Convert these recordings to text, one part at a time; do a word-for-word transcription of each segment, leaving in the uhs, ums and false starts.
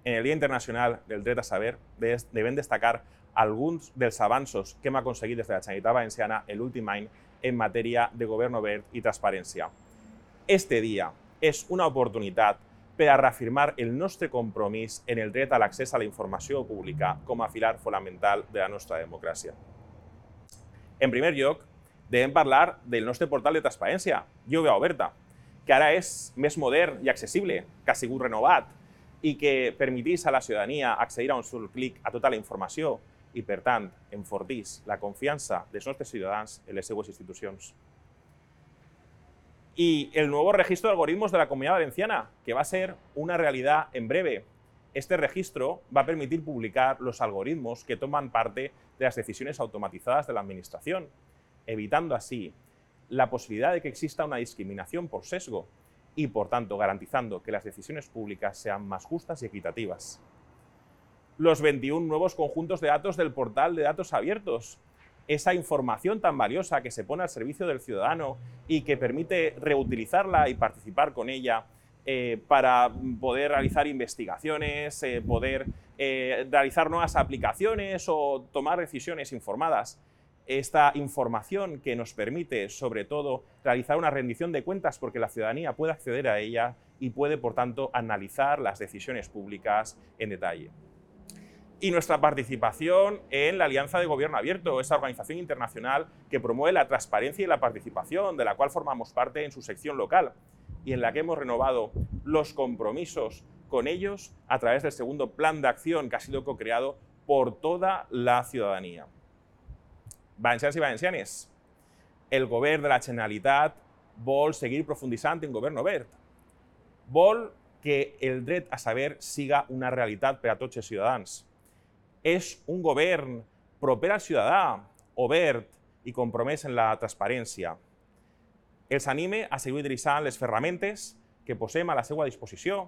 En el Dia Internacional del Dret a Saber devem destacar alguns dels avanços que hem aconseguit des de la Generalitat Valenciana l'últim any en matèria de govern obert i transparència. Este dia és una oportunitat per a reafirmar el nostre compromís en el dret a l'accés a la informació pública com a pilar fonamental de la nostra democràcia. En primer lloc, devem parlar del nostre portal de transparència, Llum Oberta, que ara és més modern i accessible, que ha sigut renovat i que permetís a la ciutadania accedir a un sol clic a tota la informació i, per tant, enfortís la confiança dels nostres ciutadans en les seues institucions. Y el nuevo registro de algoritmos de la Comunidad Valenciana, que va a ser una realidad en breve. Este registro va a permitir publicar los algoritmos que toman parte de las decisiones automatizadas de la Administración, evitando así la posibilidad de que exista una discriminación por sesgo y, por tanto, garantizando que las decisiones públicas sean más justas y equitativas. Los veintiún nuevos conjuntos de datos del portal de datos abiertos, esa información tan valiosa que se pone al servicio del ciudadano y que permite reutilizarla y participar con ella eh, para poder realizar investigaciones, eh, poder eh, realizar nuevas aplicaciones o tomar decisiones informadas. Esta información que nos permite, sobre todo, realizar una rendición de cuentas porque la ciudadanía puede acceder a ella y puede, por tanto, analizar las decisiones públicas en detalle. Y nuestra participación en la Alianza de Gobierno Abierto, esa organización internacional que promueve la transparencia y la participación, de la cual formamos parte en su sección local y en la que hemos renovado los compromisos con ellos a través del segundo plan de acción que ha sido co-creado por toda la ciudadanía. Valencians i valencianes, el govern de la Generalitat vol seguir profunditzant en govern obert. Vol que el dret a saber siga una realitat per a tots els ciutadans. És un govern proper al ciutadà, obert i compromès en la transparència. Els anime a seguir utilitzant les ferramentes que posem a la seva disposició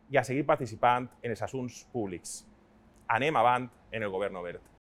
i a seguir participant en els assumptes públics. Anem avant en el govern obert.